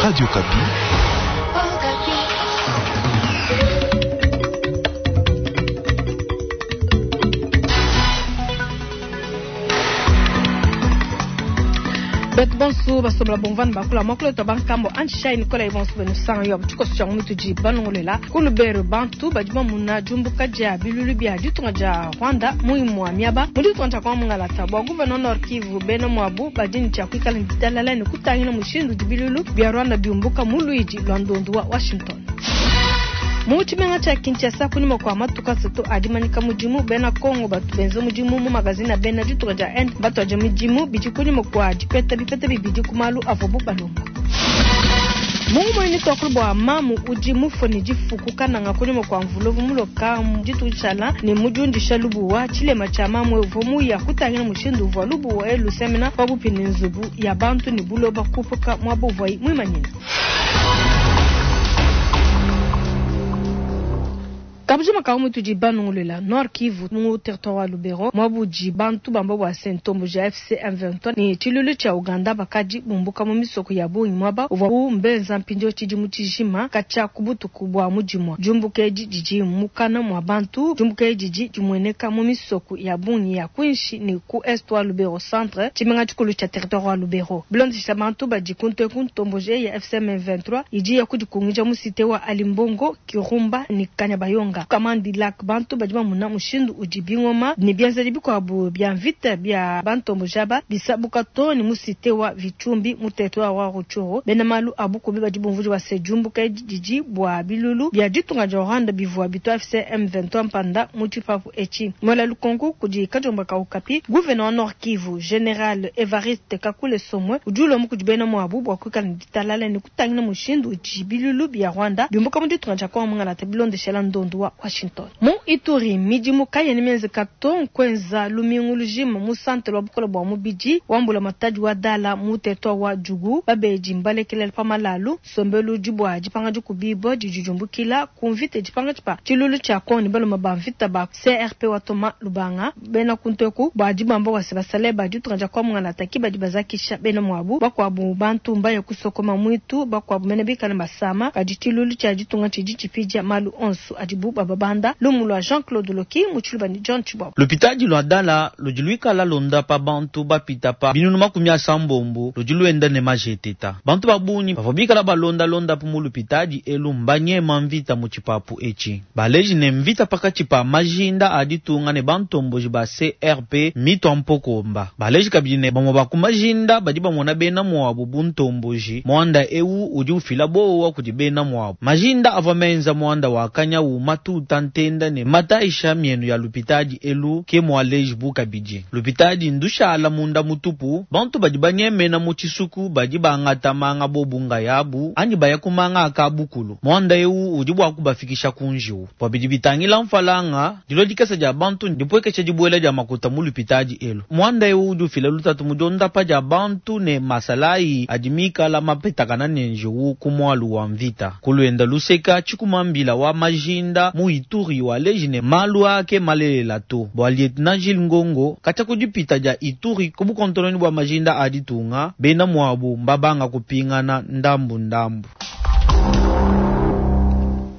Radio Okapi. Betu bonso basombela bomvana bakula muakulu wetu wa bankambo anjishayi nikolayi bonso benu sanga yo tshikoso tshia mu tudi banongolela ku Lubero bantu badi bamuna diumbuka dia bilulu bia ditunga dia Rwanda mu imua miaba mu ditunga dia Kongo mungalata bua gouverneur Nord Kivu bena muabu badi ne tshia kuikala ne ditalala ne kutangila mushindu udi bilulu bia Rwanda biumbuka mu luidi lua ndondu wa Washington. Mu tshimenga tshia Kinshasa, kunyima kua matuku asatu a dimanyika mudimu, bena Kongo batu benza mudimu mu magazine a bena ditunga dia Inde mbatuadije midimu. Bidi kunyima kua dipeta bipeta bibidi ku malu avuabu balomba. Mu ngumu eyi netuakule bua mamu udi mufue ne difu ku Kananga kunyima kua mvula uvua muloka dituku dishala ne mudiundisha lubuwa. Tshilema tshia mamu eu uvua muya kutangila mushindu uvua lubuwa elu lusemena pabuipi ne nzubu ya bantu ne buloba kupuka muaba uvuayi muimanyine. Kabujima ka mutudi banunguluila Nord Kivu mu territoire wa Lubero muaba udi bantu bamba bua se ntomboji ya AFC M23 ne tshiluilu tshia Uganda bakadi bumbuka mu misoko ya bungi muaba uvuabu mbenza mpindieu tshidimu tshijima katshia ku butuku bua mu dimua. Diumbuka edi didi mukana mua bantu. Diumbuka edi didi dimueneka mu misoko ya bungi ya kuinshi ne ku est wa Lubero centre, tshimenga tshikulu tshia territoire wa Lubero. Bilondeshila bantu badi kuntu eku, ntomboji eyi ya AFC M23 idi ya kudikungija mu cite wa Alimbongo, Kirumba ne Kanyabayonga. Kamandi Lac, bantu badi bamuna mushindu udi bingoma ne bienzedi bikuabu bia mvita bia bantomboji aba bisabuka too ne mu cite wa Vitshumbi mu territoire wa Rutshuru. Bena malu a bukubi badi bumvuija bua se diumbuka edi didi bua bilulu bia ditunga dia Rwanda bivua bitua AFC M23 mpanda mu tshipapu etshi. Muela lukonku kudi kadiomba ka Okapi, gouvena wa Nord Kivu, General Evariste Kakule Somwe udi ulomba kudi bena muabu bua kuikala ne ditalala ne kutangila mushindu udi bilulu bia Rwanda biumbuka mu ditunga dia Kongo mungalata bilondeshela ndondu wa Washington. Mu Ituri, midimu kayena mienzeka to nkuenza lumingu lujima mu santere wa bukole bua mubidi wa mbulamatadi wa Dala mu territoire wa Djugu. Babedi mbalekelela pa malalu. Nsombelu udi bua dipanga dikubibua didi diumbukila ku mvita idi pankatshi pa tshiluilu tshia Kongo ne baluma ba mvita ba CRP wa Thomas Lubanga. Bena kuntu eku badi bamba bua se basalayi ba ditunga dia Kongo mungalata ki badi bazakisha bena muabu. Bakuabu bantu mbaya kusokoma muitu, bakuabu mene bikale basama. Kadi tshiluilu tshia ditunga tshidi tshipidia malu onso adibu bababanda. Lumu lua Jean Claude Loki mu tshiluba ne John Tshibobo. Lupitadi lua Dala ludi luikala londapa bantu bapita pa 360 ludi luenda ne majeteta. Bantu ba bungi bavua bikala balonda londapu mu lupitadi elu mbanyema mvita mu tshipapu etshi. Baleji ne mvita pakatshi pa majinda a ditunga ne bantomboji ba CRP mmitua mpokomba. Baleji kabidi ne bamue ba ku majinda badi bamona bena muabu bu ntomboji. Muanda eu udi ufila buowa kudi bena muabu. Majinda avua menza muanda wa kanyawu matuta ntenda ne matayisha mienu ya lupitadi elu, ke mualejibu kabidi. Lupitadi ndushala munda mutupu, bantu badi banyemena mu tshisuku badi bangata manga bobu ngayabu anyi baya ku manga a kabukulu. Muanda eu udi bua kubafikisha ku njiwu. Bua bidi bitangila mfalanga, dilua dikese dia bantu ndipuekeshe dibuela dia makuta mu lupitadi elu. Muanda eu udi ufila lutatu mu diondapa dia bantu ne masalayi adi mikala mapetakana ne njiwu ku mualu wa mvita. Ku luenda luseka, tshikuma-mbila wa majinda mu Ituri waleji ne, malu aa ke malelela to. Bua Lieutenant Jules Ngongo, katshia ku dipita dia Ituri ku bukontononyi bua majinda a ditunga, bena muabu mbabanga kupingana ndambu ndambu.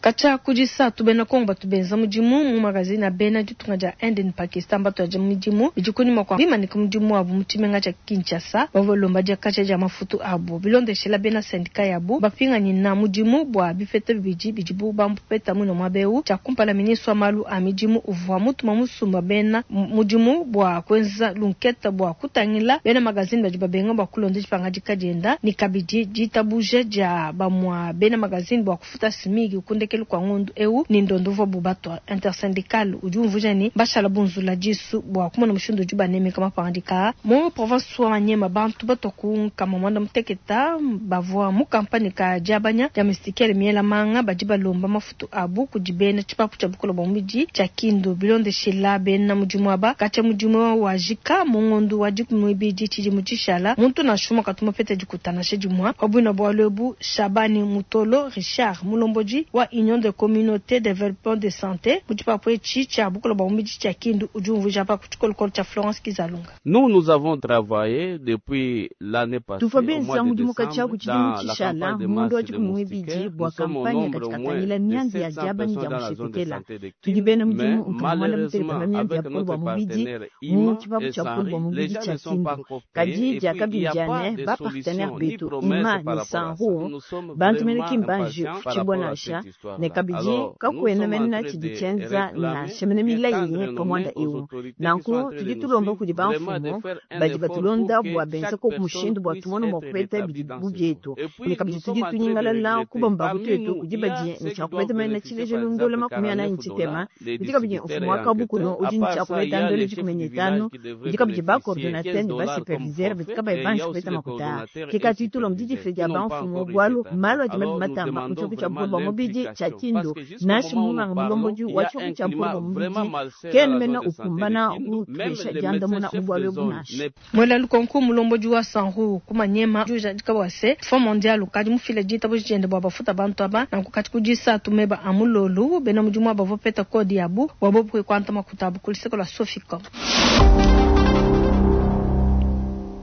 Katshia ku disatu, bena Kongo batu benza mudimu mu magazine a bena ditunga dia Inde ne Pakistan mbatuadije midimu bidi kunyima kua bimanyika mudimu wabu mu tshimenga tshia Kinshasa. Bavua balomba diakaja dia mafutu abu. Bilondeshela bena sendika yabu, bapinganyina mudimu bua bipeta bibidi bidibu bapeta muine muaba eu. Tshia kumpala, ministre wa malu a midimu uvua mutuma musumba bena mudimu bua kuenza lunketa bua kutangila bena magazine badi babenga bua kulonda dipangadika dienda ne kabidi ditabuja dia bamua bena magazine bua kufuta SMIG ku ndekelu kua ngondu eu ne ndondo uvuabu batua. Intersyndical udi umvuija ne, mbashala bunzula disu bua kumona mushindu udi banemeka mapangadika aa. Mu province wa Maniema, bantu batua ku 60 bavua mu kampanye ka diabanya dia mistikele miela manga badi balomba mafutu abu kudi bena tshipapu tshia bukole bua mubidi tshia Kindu. Bilondeshila bena mudimu aba, katshia mudimu wajika mu ngondu wa 12 tshidimu tshishala, muntu nansha umue katu mupeta dikuta nansha dimue pa buina bualu ebu. Shabani Mutolo Richard, mulombodi wa. Union de Communauté Developpement de Sante mu tshipapu etshi tshia bukole bua mubidi tshia Kindu udi umvuija pa ku tshikolokolo tshia Florence Kizalunga. Nous, nous avons travaillé depuis l'année passée Tuvua au mois benza de mudimu katshia décembre ku tshidimu dans la tshishala campagne de mu masse wa de 12 moustiquaires. bua Nous sommes au kampanya nombre kadi au moins katangila de mianzi ya 700 diaba ne personnes dia dans la zone de musheketela santé de tudi Kindu. bena mudimu Mais nkamwana muteleka malheureusement, na mianzi ya avec bukole bua notre mubidi partenaire mu IMA tshipapu et tshia bukole bua SANRI, les mubidi gens tshia ne sont pas Kindu encore payés kadi et puis il n'y a pas diakabidiane de ba partenaire solution ni betu promesse ima par ne rapport à ça. sanru Nous sommes bantu mene vraiment kimbanji impatients par rapport à futshibonasha cette ne histoire-là. kabidi Alors, nous kakuena sommes en mena train tshidi de tshienza réclamer, nansha mene de milayi tendre nos mains pa muanda aux eu autorités qui sont nanku en train de tudi nous tulomba suivre, kudi vraiment de bamfumu faire un badi effort pour batulonda que bua benza chaque ko personne mushindu bua puisse tumone mua être kupeta rétablie bidi dans bu ce bietu jour. Et ne puis, kabidi nous tudi sommes en train de tunyingalala regretter. kubamba Parmi kutuetu nous, kudi il y a badi ceux qui tshia doivent kupeta mena bénéficier, tshileja par lundola exemple, makumi anayi 49 ntshitema dollars, les kudi kabidi distributeurs mfumu et wa kabukuno enquêteurs. À udi part ntshia ça, il y kupeta a ndolo les chefs dikumi du ne village itanu qui devraient kudi kabidi ba bénéficier 15 coordonnateur ne ba dollars comme superviseur badi forfait kabayi et il y banji a aussi kupeta les makuta coordonnateurs ke et kati tulomba superviseurs didifile qui dia n'ont pas bamfumu encore eu bwalu cet argent. malu adi mabi Alors, nous matamba demandons mu tshioko tshia vraiment bukole bua mubidi tshia l'implication parce Kindu que jusqu'au nansha moment où nous munganga parlons, mulombodi il y wa a tshioko un tshia bukole climat bua vraiment mubidi malsain dans kena la mena zone de santé de ukumbana Kindu. Même kutupesha les médecins diandamuna mu chefs bwalu de ebu zone nansha ne Mwela lukonko mulombodi wa Sanru kumanyema ujadika bua se Fonds mondial ukadi mufile ditabuja diende bua bafuta bantu aba nanku kati kudisa tumeba amulolu bena mudimu aba bopeta kodi yabu bua bobu kuanta makuta abu ku luseke lua Soficom.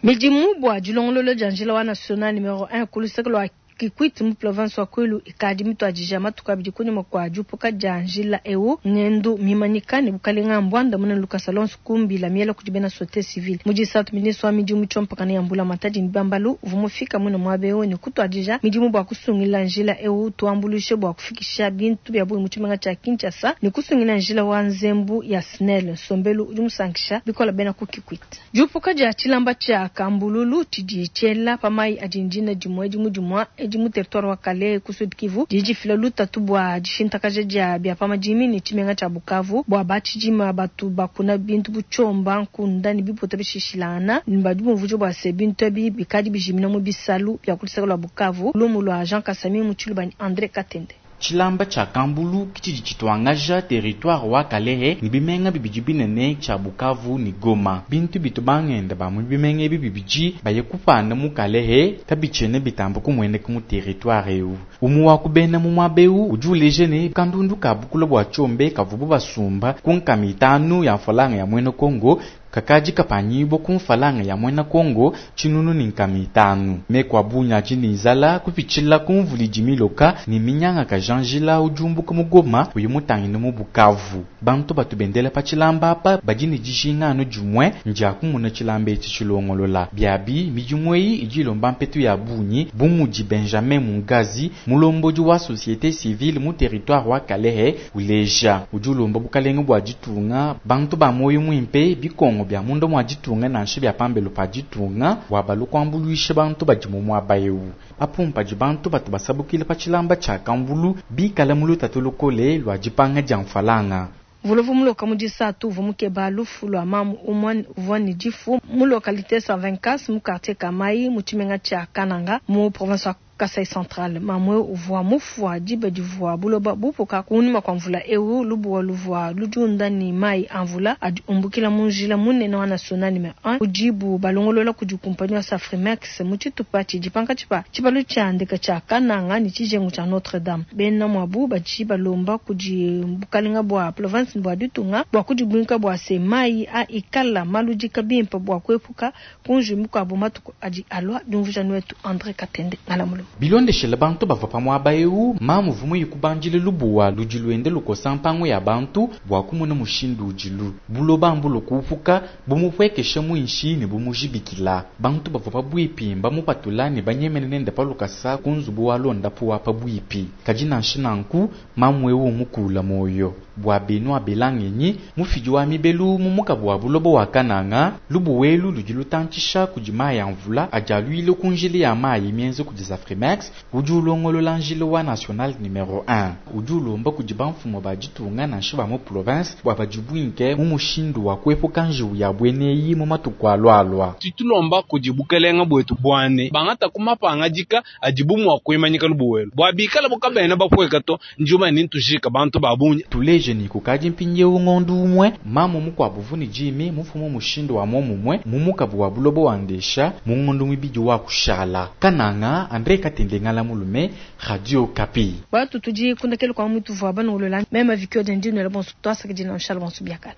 Midimu bua dilongolola dia njila wa national numero 1 ku luseke lua Kikwit mu province wa Kwilu ikadi mituadija matuku abidi kunyima kua diupuka dia njila eu ngendu mimanyika ne bukalenga mbwanda munene Lucas Alonso kumbila miela kudi bena société civile mudisatu ministre wa midimu tshiompakana ya mbula matadi ne bambalu uvua mufika muine muaba eu ne kutuadija midimu bua kusungila njila eu tuambulushe bua kufikisha bintu bia bungi mu tshimenga tshia Kinshasa ne kusungila njila wa nzembu ya SNEL nsombelu udi musankisha bikola bena ku Kikwit. Diupuka dia tshilamba tshia Kambululu tshidi tshiela pa mayi adi ndina dimue dimu dimua edi mu territoire wa Kalehe ku Sud Kivu didi difila lutatu bua dishintakaja dia bia pa madimi ne tshimenga tshia Bukavu bua batshidima batu bakuna bintu bu tshiomba nkunda ne biputa bishishilangana badi bumvuija bua se bintu ebi bikadi bijimina mu bisalu bia ku luseke lua Bukavu. Lumu lua Jean Kasami mu Tshiluba ne Andre Katende. Tshilamba tshia Kambulu tshidi tshituangaja territoire wa Kalehe ne bimenga bibidi binene tshia Bukavu ne Goma. Bintu bitu bangenda ba mu bimenga ebi bibidi baye kupanda mu Kalehe kabitshiena bitamba kumueneka mu territoire eu. Umu wa kubena mu muaba eu udi uleja ne kandundu ka bukula bua tshiombe kavubu basumba ku nkama itanu ya mfalanga ya muena Kongo kakadi kapanyibwa ku mfalanga ya muena Kongo tshinunu ne nkama itanu. Meku a bungi adi ne nzala kupitshila ku mvula idi miloka ne minyanga ka janjila udi umbuka mu Goma uyi mutangile mu Bukavu. Bantu batu bendela pa tshilamba apa badi ne dijinga anu dimue ndia kumuna tshilamba etshi tshilongolola. Biabi midimu eyi idi ilomba mpetu ya bungi bu mudi Benjamin Mungazi mulombodi wa société civile mu territoire wa Kalehe uleja. Udi ulomba bukalenge bua ditunga bantu ba moyo muimpe bikongo bia munda mua ditunga nansha bia pambelo pa ditunga bua balu kuambuluisha bantu badi mu muaba eu. Apu mpadi bantu batu basabukile pa tshilamba tshia Kambulu bikala mu lutatu lukole lua dipanga dia mfalanga. Vulovu muloka mu disatu uvua mukeba lufu lua mamu umue uvua ne difu mu localité 124 mu quartier Kamayi mu tshimenga tshia Kananga mu province wa Kasai Central. Mamue uvua mufua diba divua buloba bupuka kunyima kua mvula eu lubuwa luvua ludiunda ne mayi a mvula adi umbukila mu njila munene wa national numero 1 udibu balongolola kudi kumpanyi wa Safrimex mu tshitupa tshidi pankatshi pa tshibalu tshia ndeka tshia Kananga ne tshijengu tshia Notre Dame. Bena muabu badi balomba kudi bukalenga bua province bua ditunga bua kudibuinka bua se mayi a ikala maludika bimpe bua kuepuka kunji mikuabu matuku adi alua. Diumvuija wetu Andre Katende Ngalamulu. Bilondeshele bantu bavua pa muaba eu mamu uvua muyikubandile lubuwa ludi luende lukosa mpangu ya bantu bua kumona mushindu udilu buloba mbulo kuupuka bumupuekesha muinshi ne bumujibikila. Bantu bavua pabuipi mbamupatula ne banyemene nende pa lukasa ku nzubu wa londapu wa pabuipi. Kadi nansha nanku mamu eu mukula moyo bua benu abelangenyi mufidi wa mibelu mu mukabu wa buloba wa Kananga lubuwelu ludi lutantshisha kudi mayi a mvula adi aluile ku njila ya mayi mienze kudi Safrimex udi ulongolola njila wa national numero 1 udi ulomba kudi bamfumu ba ditunga nansha ba mu province bua badibuinke mu mushindu wa kuepuka njiwu ya bueneyi mu matuku alualua. Titulomba kudi bukelenga bwetu bwane bangata kumapangadika adibu mua kuimanyika lubuwelu bua bikala bukabena bapueka to njuma ni ntujika bantu ba bungi. Tuleje muleje ne kukadi mpindieu ngondu umue, mamu mukuabu uvua ne dimi mufue mu mushindu wa momumue mu mukabu wa buloba wa Ndesha mu ngondu muibidi wa kushala. Kananga, Andre Katende Ngala Mulume, Radio Okapi. Batu tudi kundekelu kwa mutuvua banongolola mema vikio dia ndinwela bonso twasakidila nshala bonso biakala.